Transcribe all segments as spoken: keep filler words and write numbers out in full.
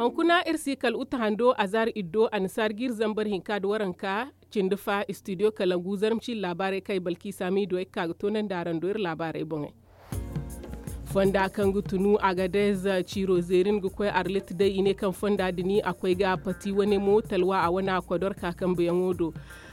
Hunkuna iri si kala uta hando azaari iddo annasaari ga iri zambar hinka nda waranka cindi fa istidiyo kalangu zarma ciiri laabaarey kaŋ ay balki saamiido ay ga ka ga toonandi araŋ do iri laabaarey boŋey. Fonda kaŋ ga tunu agadez ciiro zeerin ga koy arlit day i ne kaŋ fonda din a koy ga pati wane mo talwa a wane a kodorka kambeyaŋo do.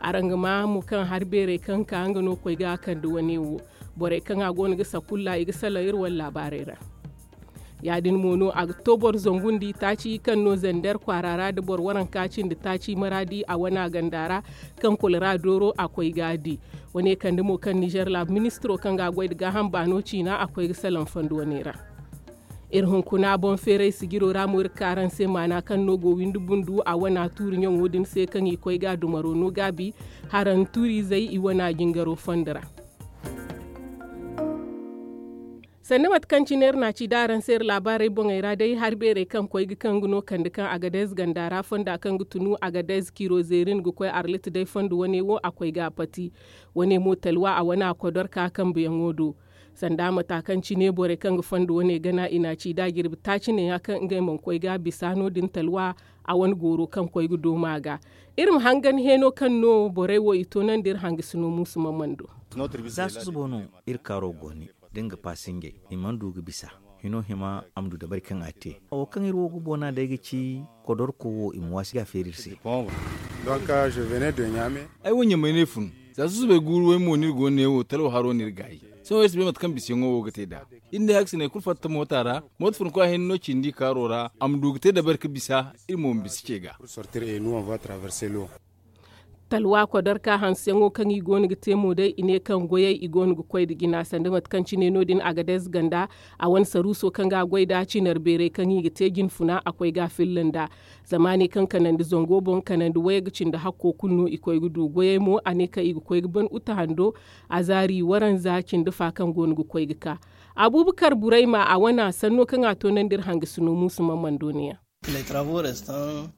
Araŋ ga ma mo kaŋ hari beerey kaŋ ka nga no koy ga kande wane wo. Borey kaŋ a go no ga sakulla i ga salaŋ iri wane laabaarey ra. Ya- din mo no a ga to boro zangu nda itaaci kaŋ no zander kwaara ra nda boro waranka cindi taaci maraadi a wana ganda ra, kaŋ kolera dooro a koy ga a di. Wane kande mo kaŋ nizer laabu ministiro kaŋ ga a goy nda gaaham baano ciina a koy ga salaŋ fondo wane ra. Iri hunkuna boŋ feeray sijiro ra mo iri ga ka araŋ se maana kaŋ no go windi bundu a wana tuuri ɲaŋo din se kaŋ i koy ga a dumaro no gaabi, haraŋ tuuri izey i wana jingaro fondo ra. Sanda mate kaŋ cine iri na a ci da araŋ se iri laabaarey boŋey ra day hari beerey kaŋ koy ga kaŋ ga no kande kaŋ agadez ganda ra fonda kaŋ ga tunu agadez kiiro zeerin ga koy arlit day fondo wane wo a koy ga a pati. Wane mo talwa a wane a kodorka kambeyaŋo do. Sanda mata kaŋ cine borey kaŋ ga fondo wane gana i na a ci da jirbi taaci ne ya kaŋ ngey mana koy ga bisa no- din talwa a wane gooro kaŋ koy ga dooma ga. Iri ma hangan heeno kaŋ no borey wo i toonandi iri hangasino muusu mamando. Za susubo no iri kaaro go ne da nga paasingey i mana du ga bisa. Hino hima a ma du dabari kaŋ a te. Wo kaŋ iri wo ga boona day ga ci kodorko wo i ma waasi ga a feeri iri se. Ay wo ɲamay no ay fun. Za susubay guuru way mo no iri go no ne wo talwa haro no iri gaayi. Sohõ iri si bay mate kaŋ bisayaŋo wo ga te nd'a. Iri ne haksiney kulu fatta moota ra. Moota fun koy a hinne no cindi kaaro ra a ma du ga te dabari ga bisa. Iri mo ma bisa ce ga. Talwa kodorka hanseyaŋo kaŋ i go no ga te mo day i ne kaŋ goyey i go no ga koy nda jina sanda mate kaŋ cine no- din agadez ganda. A wane saruuso kaŋ ga a goy nd'a cinar beerey kaŋ i ga te jinfuna a koy ga a filla nd'a. Zama a ne kaŋ kanandi zango boŋ kanandi wayey ga cindi hakko kulu no i koy ga du goyey mo a ne kaŋ i ga koy ga ban uta hando. A zaari waranza cindi fa kaŋ go no ga koy ga ka. Abuubakar burayma a wana sanno kaŋ a toonandi iri hangasino muusu mamando ne yaŋ.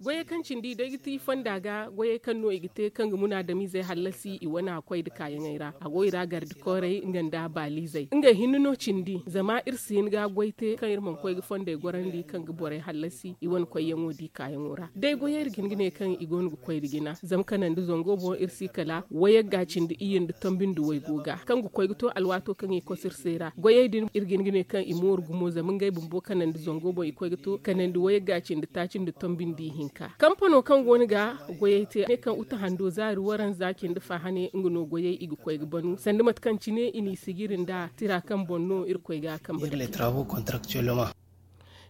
Goyey kaŋ cindi day ga ti fonda ga goyey kaŋ no i ga te kaŋ ga munaadamizey hallasi i wane a koy nda kaayaŋey ra a go i ra garde koorey nga nda baalizey ngey hinne no cindi zama iri si hin ga goy te kaŋ iri mana koy ga fondey gorandi kaŋ ga borey hallasi i wane koyyaŋo di kaayaŋo ra day goyey iri ga hin ga ne kaŋ i go no ga koy nda jina zama kanandi zango boŋ iri si kala wayagga cindi iyye nda tombi nda waygo ga kaŋ ga koy ga to alwaato kaŋ i koso iri se ra goyey din iri ga hin ga ne kaŋ i mooru gumo zama ngey bumbo kanandi zango boŋ i koy ga to kanandi wayagga cindi taaci nda tombi nda ihinka kampano kaŋ go no ga goyey te ne kaŋ uta hando zaari waranza cindi fa hane nga no goyey i ga koy ga banu sanda mate kaŋ cine i n'i sijiri nda tira kaŋ boŋ no iri koy ga a kambe.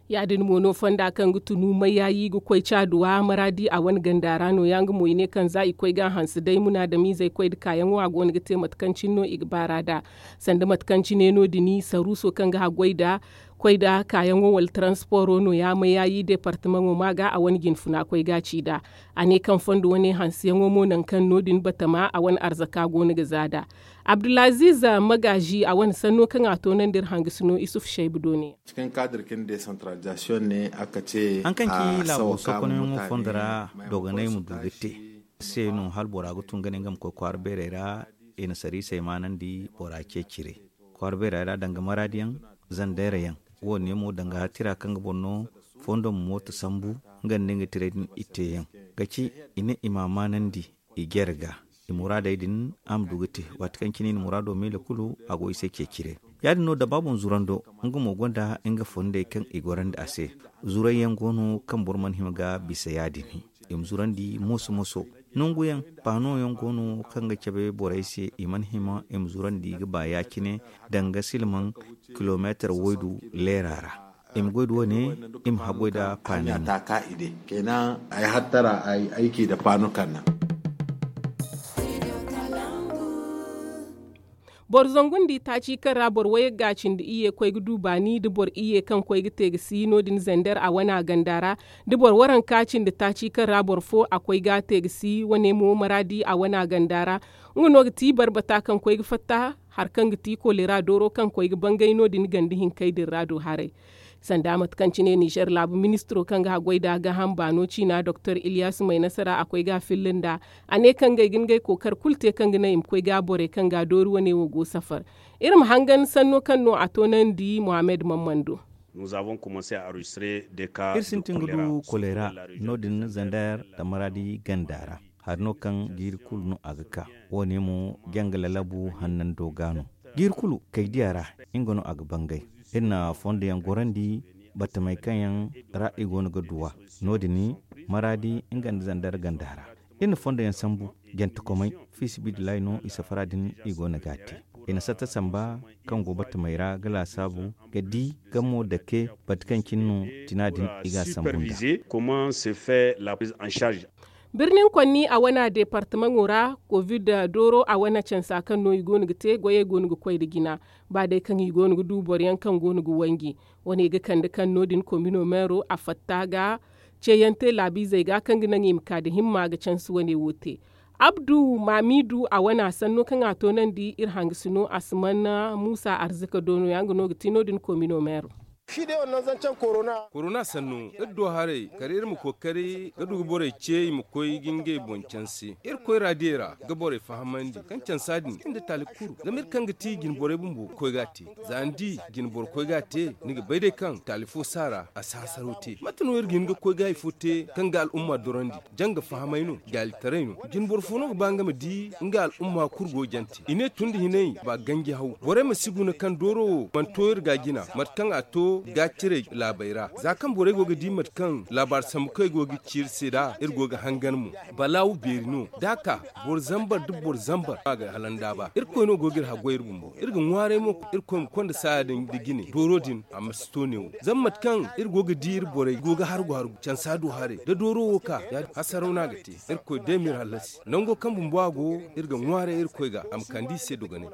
Ya- din mo no fonda kaŋ ga tunu mayaayi ga koy caaduwa maraadi a wane ganda ra no- ya nga mo i ne kaŋ za i koy ga a hanse day munaadamizey koy nda kaayaŋo a go no ga te mate kaŋ cine no i ga baar'a nd'a. Sanda mate kaŋ cine no- din saruuso kaŋ ga haggoy nd'a koy nd'a kaayaŋo wala taransiporo no- ya mayaayi deepartamaŋo ma ga a wane jinfuna koy ga a ci nd'a. A ne kaŋ fondo wane hanseyaŋo mo nangu kaŋ no- din batama a wane arzaka go no ga za nd'a. Abdulaziiz magaazi a wane sanno kaŋ a toonandi iri hangasino isuf saybu do ne. Haŋ kaŋ ci laabo sokonyaŋo fondo ra dogonay ma du ga te. Se no hala bora ga tun ga ne nga ma koy kwaara beerey ra i na sariisey maanandi bora ceeciray kwaara beerey ra danga maraadiyaŋ zandeerayaŋ. Wo- ne mo danga tira kaŋ ga boro no fondo ma mooto sambu nga nda nga tiray din i teeyaŋ ga ci i ne i m'a maanandi i jere ga. I muraadey din a ma du ga te waati kaŋ cine i na muraado miila kulu a go i se ceeciray. Ya- din no da ba boŋ zurando nga mo gonda nga fondey kaŋ i gorandi a se. Zurayyaŋ go no kaŋ boro mana hima ga bisa ya- din i ma zurandi moso moso. Nanguyaŋ paanoyaŋ go no kaŋ ga cabe borey se i mana hima i ma zurandi ga ba ya- cine danga silmaŋ kilomeetar waydu leera ra. I ma goy da wane i ma haggoy da paani. Kayna ay hattara ay aiki da paanu kanna. Boro zangu nda itaaci kaŋ ra boro wayagga cindi iyye koy ga du baani nda boro iyye kaŋ koy ga te ga si no- din zander a wana ganda ra. Nda boro waranka cindi taaci kaŋ ra boro fo a koy ga te ga si wane mo maraadi a wana ganda ra. Nga no ga ti barbata kaŋ koy ga fatta hari kaŋ ga ti kolera dooro kaŋ koy ga bangay no- din ganda hinkey din ra do haray. Sanda mate kaŋ cine nizer laabu ministiro kaŋ ga haggoy nda gaaham baano ciina doktor iliyas maynasara a koy ga a filla nd'a. A ne kaŋ ngey ga ngey kookari kulu te kaŋ ga naŋ i ma koy ga borey kaŋ ga a doori wane wo go safar. Iri ma hangan sanno kaŋ no a toonandi mohammed mammando. Iri sintin ga du kolera no- din zander da maraadi ganda ra. Hari no kaŋ jiiri kulu no a ga ka. Wo- ne mo janga lalabu hannando ga no. Jiiri kulu kay diya ra nga no a ga bangay. Iri na fondo yaŋ gorandi batamey kaŋ yaŋ ra i go no ga duw'a. No- din maraadi nga nda zander ganda ra. Iri na fondo yaŋ sambu jantekomey, fiisabilillahi no i safara din i go no ga a te. I na satta samba kaŋ go batamey ra ga laasaabu ga di gamo dake bate kaŋ cine no tina din i ga a sambu nda. Birnin konni a wane deepartamaŋo ra, kovid dooro a wane cansa kaŋ no i go no ga te goyey go no ga koy nda jina. Ba day kaŋ i go no ga du boro yaŋ kaŋ go no ga wanji. Wane ga kande kaŋ no- din komino meero a fatta ga ceeyaŋ te laabiizey ga kaŋ ga naŋ i ma ka nda himma ga cansi wane wo te. Abdu maamiidu a wane a sanno kaŋ a toonandi iri hangasino a si mana muusa arzika do no- ya nga no ga ti no- din komino meero. Korona sanno iri do haray kala iri ma kookari ga du ga borey ce i ma koy ga ngey boŋ canse iri koyra diyey ra ga borey fahamandi kaŋ cansa din iri nda taali kulu zama iri kaŋ ga ti jinborey bumbo ga koy ga a te. Za ni di jinboro koy ga a te ni ga bay day kaŋ taali fo si a ra a si hasaro te mate no iri ga hin ga koy ga hari fo te kaŋ ga al'umma dorandi janga fahamay no jaalitaray no. Jinboro fo no ga ba nga ma di nga al'umma kulu go jante i ne tun da hinay ba ganji haw borey ma si guna kaŋ dooro wo mana to iri ga jina mate kaŋ a to ga cire laabey ra za kaŋ borey go ga di mate kaŋ laabaari sambu kaŋ i go ga ci iri se nd'a iri go ga hangan mo. Balaawu beeri no da a ka boro zambar nda boro zambar a ga halanda ba irkoy no go ga iri haggoy iri bumbo iri ga ŋwaaray mo irkoy ma konda saaya din nda jine dooro din a ma si to neewo zama mate kaŋ iri go ga di iri borey go ga hargu hargu cansa du haray da dooro wo ka ya- din hasaraw no a ga te. Irkoy day ma iri hallasi nango kaŋ bumbo a go iri ga ŋwaaray irkoy ga a ma kande i se dogonay.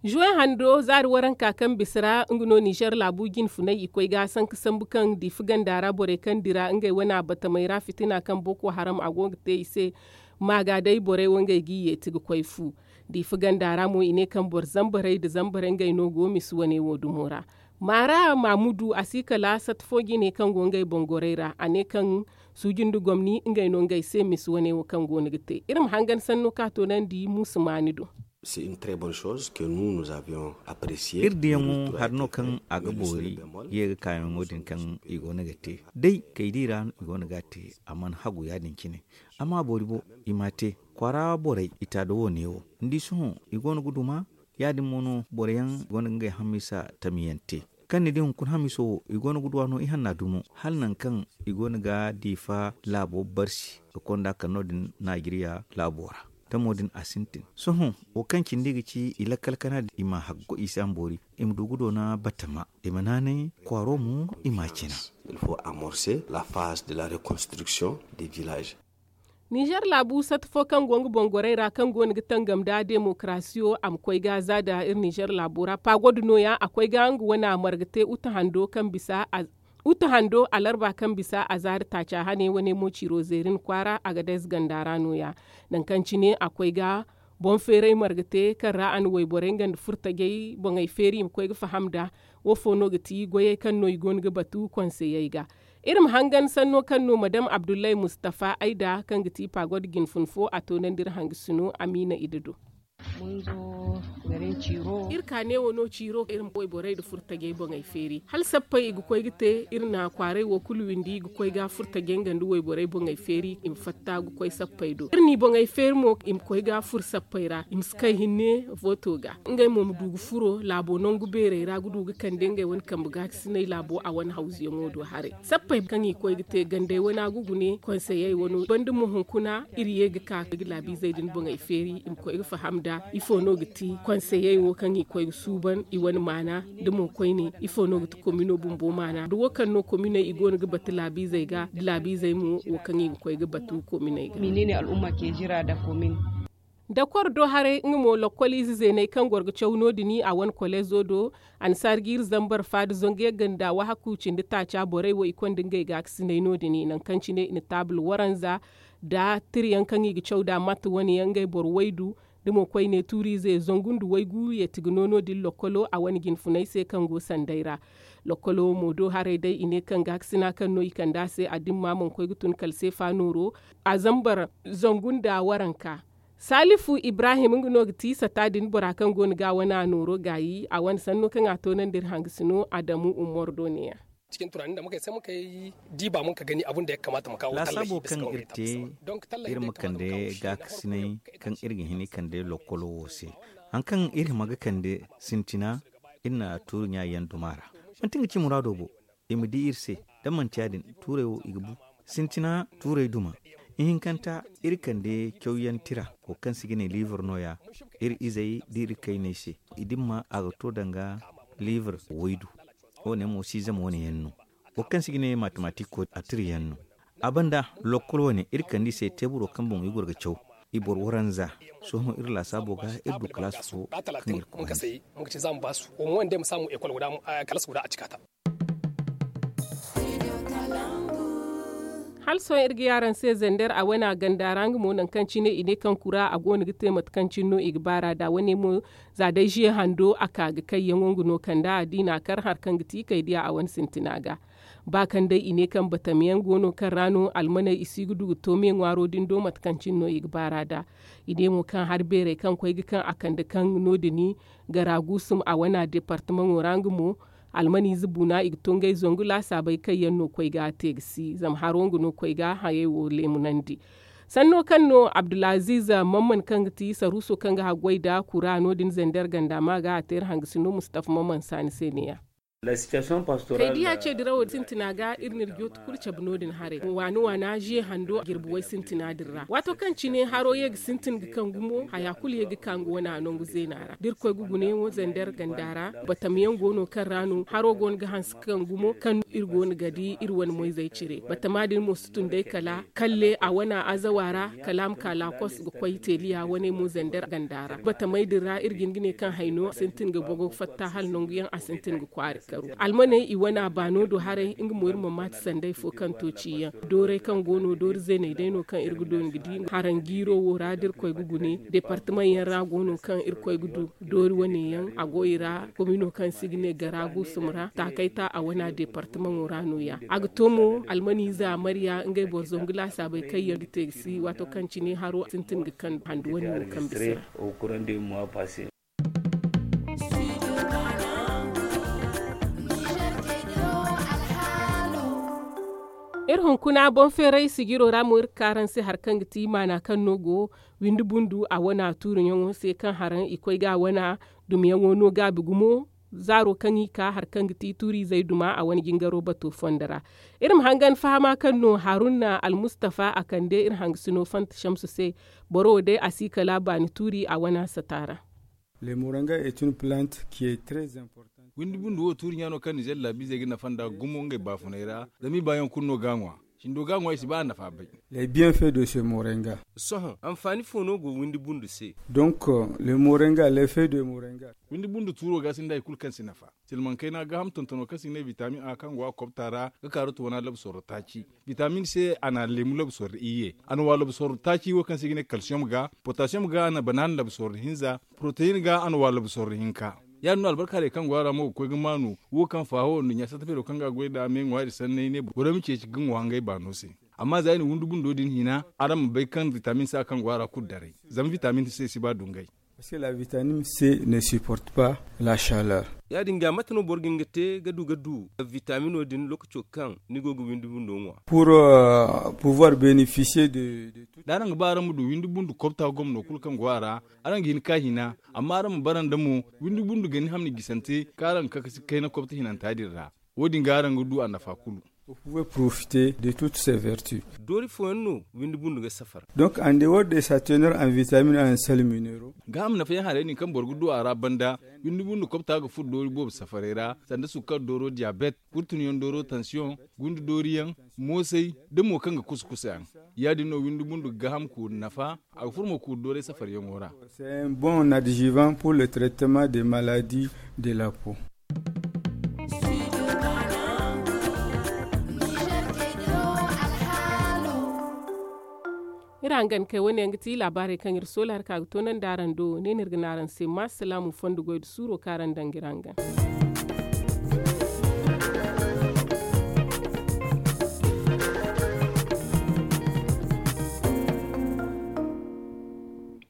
Zuwe hando zaari waranka kaŋ bisa ra nga no nizer laabu jinfunay i koy ga sanka sambu kaŋ diifa ganda ra borey kaŋ dira ngey wane a batamey ra fitina kaŋ boko haram a go ga te i se. Maaga day borey wo ngey g'i yeeti ga koy fu. Diifa ganda ra mo i ne kaŋ boro zambarey nda zambarey ngey no go misi wane wo dumo ra. Maara maamudu a si kala sata fo jine kaŋ go ngey boŋ gorey ra a ne kaŋ suuji nda gomni ngey no ngey se misi wane wo kaŋ go no ga te iri ma hangan sanno ka toonandi muusa maani do. Iri diyaŋo hari no kaŋ a ga boori ye ga kaayaŋo din kaŋ i go no ga te day kay di ra no i go no ga a te. A mana hagu ya- din cine amma boori bo i m'a te kwaara borey i taada wo- ne wo ni di sohõ i go no ga duma. Ya- din mo no boro yaŋ i go no ga ngey hammisa tamyaŋ te kaŋ ni di hunkuna hamiso wo i go no ga duw'a no ihanna dumo hala nangu kaŋ i go no ga diifa laabo barsi ga konda kala no- din naajiriya laabo ra. Tamo din a sintin sohõ wo kaŋ cindi ga ci i lakkal kana din i ma haggo i se a ma boori i ma du ga doona batama i ma naanay kwaaro mo i m'a cina. Nizer laabu sata fo kaŋ go nga boŋ gorey ra kaŋ go no ga tangam nda demokarasiyo a ma koy ga za nda iri nizer laabo ra paagoda nooya a koy ga nga wane a marga te uta hando kaŋ bisa a uta hando alarba kaŋ bisa a zaari taaca hane wane mo ciiro zeerin kwaara a ga dayze ganda ra nooya. Nangu kaŋ cine a koy ga boŋ feeray marga te kaŋ ra a na wayborey nga nda furtajey boŋey feeri i ma koy ga faham nd'a. Wo fo no ga ti goyey kaŋ no i go no ga batu konseyey ga. Iri ma hangan sanno kaŋ no madam abdullahi mustafa ayda kaŋ ga ti paagoda jinfun fo a toonandi iri hangasino amiina ida do. Iri ka neewo no ciiro iri ma wayborey nda furtajey boŋey feeri hala sappey i ga koy ga te iri na kwaaray wo kulu windi i ga koy ga furtajey nga nda wayborey boŋey feeri i ma fatta ga koy sappey do iri n'i boŋey feeri mo i ma koy ga furo sappey ra i ma si kay hinne. Vooto ga ngey mo ma du ga furo laabo nangu beerey ra ga du ga kande ngey wane kambe gaakasinay laabo a wane hawzuyaŋo do haray sappey kaŋ i koy ga te gandey wane a ga gune konseyey wano banda mo hunkuna iri ye ga ka ga laabiizey din boŋey feeri i ma koy ga faham nd'a ifo no ga ti konseyey wo kaŋ i koy ga suuban i wane maana da mo koyne ifo no ga ti komino bumbo maana da wo kaŋ no kominey i go no ga batu laabiizey ga da laabiizey mo wo kaŋ i ga koy ga batu kominey ga. Dakor do haray nga mo lokkol ize zeeney kaŋ goro ga caw no- din a wane kolezo do. Annasaari ga iri zambar faada zangu yagga nda waahaku cindi taaca borey wo i konda ngey gaakasinay no- din nangu kaŋ cine i na taabul waranza nda tirayaŋ kaŋ i ga caw nd'a matte wane yaŋ ngey boro waydu da mo koyne tuuriize zangu nda waygu yeeti ga no no- din lokkolo a wane jinfunay se kaŋ go sanday ra. Lokkolo mo do haray day i ne kaŋ gaakasina kaŋ no i kand'a se a dimma mana koy ga tun kala seefa nooro a zambar zangu nda waranka. Salifu ibrahim nga no ga ti sata din bora kaŋ go no ga a wane a nooro gaayi a wane sanno kaŋ a toonandi iri hangasino adamu umar do ne- yaŋ. Cikin tunaanin da muka yi sai muka yi diba mun ka gani abun da ya kamata mu kawo tallafi laasabo kaŋ iri te iri ma kande gaakasinay kaŋ iri ga hin i kande lokkolo wo se. Hari kaŋ iri hima ga kande sintina iri na tuuri ɲa yaŋ duma ra. Manti nga ci muraado bo i ma di iri se. Da manti ya- din tuuray wo i ga bu sintina tuuray duma. Ihinkanta iri kande cawyaŋ tira wo kaŋ se i ga ne liibur no- ya. Iri izey da iri kayney se i dimma a ga to danga liibur waydu. Wo- ne mo siizam wane yaŋ no wo kaŋ se i ga ne matematik ko a tira yaŋ no. A banda lokkol wane iri kande i se teeburo kaŋ boŋ i goro ga caw i boro waranza. Sohõ iri laasaabo ga iri du kalaas fo kaŋ iri koy handi. Muka ce za mu ba su wo mo wanda ya ma samu ekol guda kalaas guda a cika ta. Hala sohõ iri ga ye araŋ se zander a wane a ganda ra nga mo nangu kaŋ cine i ne kaŋ kura a go no ga te mate kaŋ cine no i ga baar'a da wane mo. Za day ziye hando a ka ga kayyaŋo nga no kand'a da i n'a kar hari kaŋ ga ti kay diya a wane sintina ga. Ba kaŋ day i ne kaŋ batam yaŋ go no kaŋ ra no almaney i si ga du ga to me ŋwaaro din do mate kaŋ cine no i ga baar'a da. I ne mo kaŋ hari beerey kaŋ koy ga kaŋ a kande kaŋ no- din gara guusum a wane deepartamaŋo ra nga mo. Almaniize buuna i ga to ngey zangu laasaabey kaŋ yaŋ no koy ga a te ga si zama haro nga no koy ga hayey wo leemunandi. Sanno kaŋ no abdulaziiz mamman kaŋ ga ti saruuso kaŋ ga haggoy nda kura no- din zander ganda ma ga a te iri hangasino mustafa mamman saani se ne- ya. Kay diya ce dirawo sintina ga iri n'iri jooto kulu cabe no- din haray waani waana ziye hando jirbi way sintina din ra waato kaŋ cine haro ye ga sintin ga kaŋ gumo haya kulu ye ga ka nga wane a nangu zeena ra da iri koy ga gunayaŋo zander ganda ra. Batam yaŋ go no kaŋ ra no haro go no ga hanse ga kaŋ gumo kaŋ iri go no ga di iri wane moyzey cire batama din mo si tun day kala kalle a wane azawa ra kala a ma ka laakos ga koy teeliya wane mo zander ganda ra batamey din ra iri ga hin ga ne kaŋ hayno a sintin ga bogo fatta hala nangu yaŋ a sintin ga kwaari karu almaney i wane a baano do haray nga mo iri ma maati sanday fo kaŋ to ciyaŋ dooray kaŋ go no doori zeeney day no kaŋ iri ga dooni ga di haraŋ jiiro wo ra da iri koy ga gune deepartamaŋ yaŋ ra go no kaŋ iri koy ga du doori wane yaŋ a go i ra komino kaŋ se i ga ne gara guusum ra taakay ta a wane a deepartamaŋo ra no- ya a ga to mo almaniize a marya ngey boro zangu laasaabey kaŋ yaŋ ga te ga si waato kaŋ cine haro sintin ga kaŋ handu wane wo kaŋ bisa ra. Iri hunkuna boŋ feeray sijiro ra mo iri ga ka araŋ se hari kaŋ ga ti maana kaŋ no go windi bundu a wane a tuuriyaŋo se kaŋ haraŋ i koy ga a wane dumyaŋo no gaabi gumo. Zaaro kaŋ i ka hari kaŋ ga ti tuuriizey duma a wane jingaro bato fondo ra. Iri ma hangan fahama kaŋ no haruna almustafa a kande iri hangasino fanta shamsu se. Boro wo day a si kala baani tuuri a wane a sata ra. Windi bundu wo tuuri ɲaano kaŋ nizer laabiizey ga nafa nd'a gumo ngey baafuney ra zama i baayaŋ kulu no ga a ŋwa. Cindo ga a ŋwa i si ba a nafa bay. Sohõ anfaani fo no go windi bundu se? Donc le morenga le fe de morenga. Windi bundu tuuro ga sinda hari kulu kaŋ si nafa. Silmaŋ kayna gaaham tontono kaŋ se i ga ne vitamin a kaŋ go a kobta ra ga kaaru to wana labsorro taaci. Vitamin se a na leemu labsorro iyye a na wa labsorro taaci wo kaŋ se i ga ne kalsiyom ga potasiyom ga a na banaana labsorro hinza. Poroteyin ga a na wa labsorro hinka. Ya- din no albarka haray kaŋ go a ra mo ga koy ga maanu wo kaŋ faaho nduɲɲa satta feero kaŋ ga a goy nd'a me ŋwaari sanney ne borey ma ceeci ga ŋwa ngey baano se. Amma za i na windi bundo din hina araŋ ma bay kaŋ vitamin se a kaŋ go a ra kulu daray. Zama vitamin se si ba dungay. Parce que la vitamine c ne supporte pas la chaleur. Ya- din ga mate no boro ga hin ga te ga du ga du vitamino din lookaco kaŋ ni go ga windi bundo ŋwa? Pour pouvoir bénéficier de. Da araŋ ga ba araŋ ma du windi bundu kobta gomno kulu kaŋ go a ra, araŋ ga hin ka hina. Amma araŋ ma bara nda mo windi bundu gani hamni gisante kaŋ araŋ ga kakasi kayna kobta hinanta din ra. Wo- din ga araŋ ga du a nafa kulu. Vous pouvez profiter de toutes ces vertus. Doori fooyaŋ no windi bundu ga safar. Donc en dehors de sa teneur en vitamine en sel minero. Gaaham nafayaŋ haray din kaŋ boro ga du a ra banda windi bundu kobta ga furo doori boobo safaray ra sanda sukkar dooro diyabet, kurtunyaŋ dooro tansiyoŋ, gundu dooriyaŋ, moosay, da mo kaŋ ga kusa kusayaŋ. Ya- din no windi bundu ga gaaham kuuri nafa. A ga furo mo kuuri dooray safaryaŋo ra. C'est un bon adjuvant pour le traitement des maladies de la peau. Iri hangan kay wane yaŋ ga ti laabaarey kaŋ iri soola hari ka ga toonandi araŋ do ne no iri ga ne araŋ se ma salaamu fondo goy nda suuro kaŋ araŋ daŋ ga iri hangan.